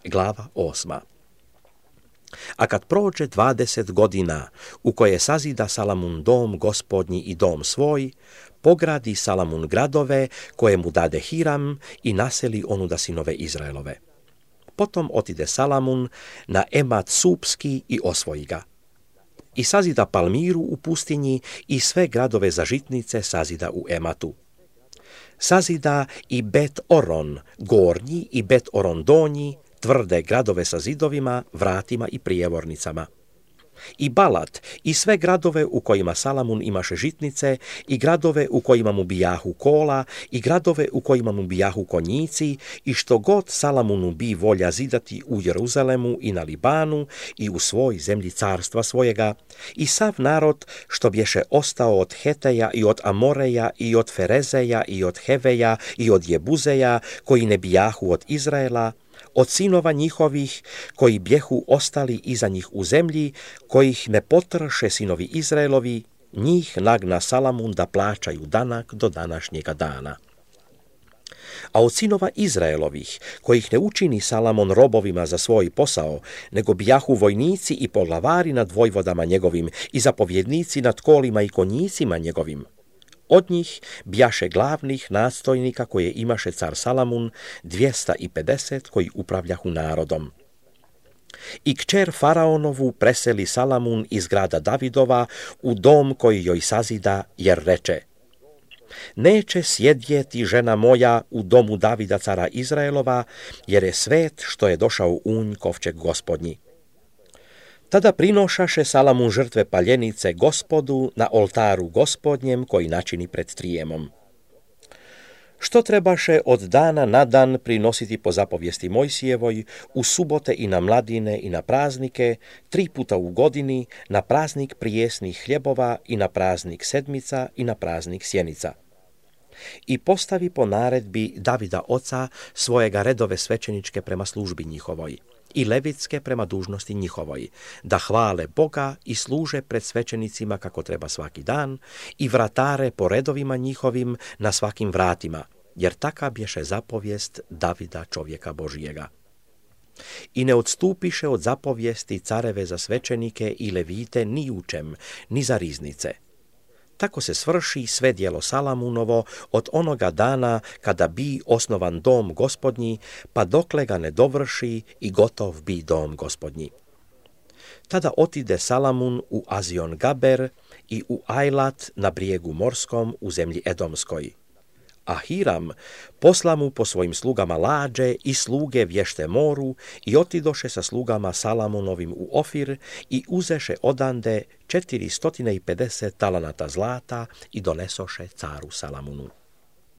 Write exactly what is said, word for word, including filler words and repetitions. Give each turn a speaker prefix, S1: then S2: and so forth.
S1: Glava osma. A kad prođe dvadeset godina u koje sazida Salamun dom gospodnji i dom svoj, pogradi Salamun gradove koje mu dade Hiram i naseli onuda sinove Izraelove. Potom otide Salamun na Emat Supski i osvoji ga. I sazida Palmiru u pustinji i sve gradove za žitnice sazida u Ematu. Sazida i Bet Oron gornji i Bet Oron donji, tvrde gradove sa zidovima, vratima i prijevornicama. I Balat i sve gradove u kojima Salamun imaše žitnice, i gradove u kojima mu bijahu kola, i gradove u kojima mu bijahu konjici, i što god Salamunu bi volja zidati u Jeruzalemu i na Libanu i u svoj zemlji carstva svojega, i sav narod što bješe ostao od Heteja i od Amoreja i od Ferezeja i od Heveja i od Jebuzeja, koji ne bijahu od Izraela, od sinova njihovih koji bjehu ostali iza njih u zemlji, kojih ne potrše sinovi Izraelovi, njih nagna Salamun da plaćaju danak do današnjega dana. A od sinova Izraelovih, kojih ne učini Salamon robovima za svoj posao, nego bijahu vojnici i poglavari nad vojvodama njegovim i zapovjednici nad kolima i konjicima njegovim, od njih bjaše glavnih nadstojnika koje imaše car Salamun, dvjesta pedeset koji upravljahu narodom. I kćer Faraonovu preseli Salamun iz grada Davidova u dom koji joj sazida, jer reče: neće sjedjeti žena moja u domu Davida cara Izraelova, jer je svet što je došao unj kovčeg gospodnji. Tada prinošaše Salamun žrtve paljenice Gospodu na oltaru Gospodnjem koji načini pred Trijemom. Što trebaše od dana na dan prinositi po zapovijesti Mojsijevoj, u subote i na mladine i na praznike, tri puta u godini, na praznik prijesnih hljebova i na praznik sedmica i na praznik sjenica. I postavi po naredbi Davida oca svojega redove svećeničke prema službi njihovoj i levitske prema dužnosti njihovoj, da hvale Boga i služe pred svećenicima kako treba svaki dan, i vratare po redovima njihovim na svakim vratima, jer taka bješe zapovijest Davida čovjeka Božijega. I ne odstupiše od zapovijesti careve za svećenike i levite ni u čem, ni za riznice. Tako se svrši sve djelo Salamunovo od onoga dana kada bi osnovan dom gospodnji, pa dokle ga ne dovrši i gotov bi dom gospodnji. Tada otide Salamun u Azion Gaber i u Ajlat na brijegu morskom u zemlji Edomskoj. A Hiram posla mu po svojim slugama lađe i sluge vješte moru i otidoše sa slugama Salamunovim u Ofir i uzeše odande četiristo pedeset talanata zlata i donesoše caru Salamunu.